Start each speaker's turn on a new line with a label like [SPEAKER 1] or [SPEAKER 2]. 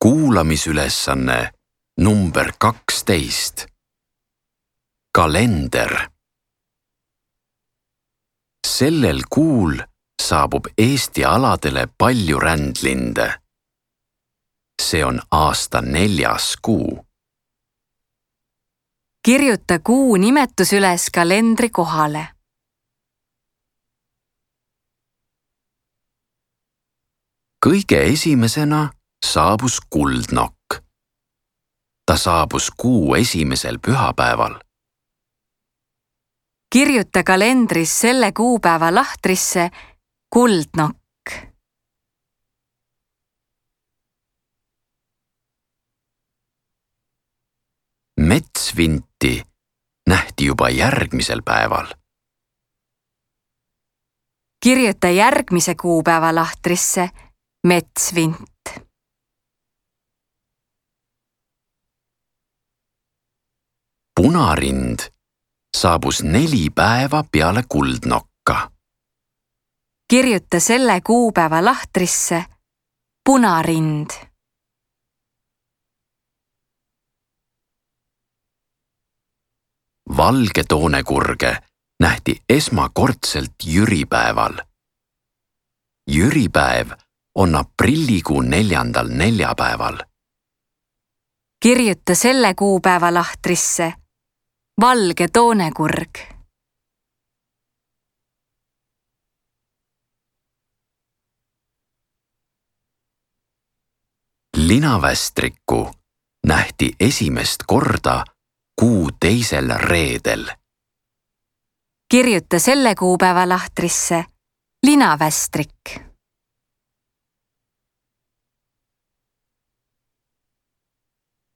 [SPEAKER 1] Kuulamisülesanne number 12. Kalender. Sellel kuul saabub Eesti aladele palju rändlinde. See on aasta 4. kuu.
[SPEAKER 2] Kirjuta kuu nimetus üles kalendri kohale.
[SPEAKER 1] Kõige esimesena saabus kuldnokk. Ta saabus kuu esimesel pühapäeval.
[SPEAKER 2] Kirjuta kalendris selle kuupäeva lahtrisse kuldnokk.
[SPEAKER 1] Metsvinti nähti juba järgmisel päeval.
[SPEAKER 2] Kirjuta järgmise kuupäeva lahtrisse metsvint.
[SPEAKER 1] Punarind saabus 4 päeva peale kuldnokka.
[SPEAKER 2] Kirjuta selle kuupäeva lahtrisse punarind.
[SPEAKER 1] Valgetoonekurge nähti esmakordselt jüripäeval. Jüripäev on aprillikuu 4. neljapäeval.
[SPEAKER 2] Kirjuta selle kuupäeva lahtrisse valgetoonekurg.
[SPEAKER 1] Linavästrikku nähti esimest korda kuu 2. reedel.
[SPEAKER 2] Kirjuta selle kuupäeva lahtrisse linavästrik.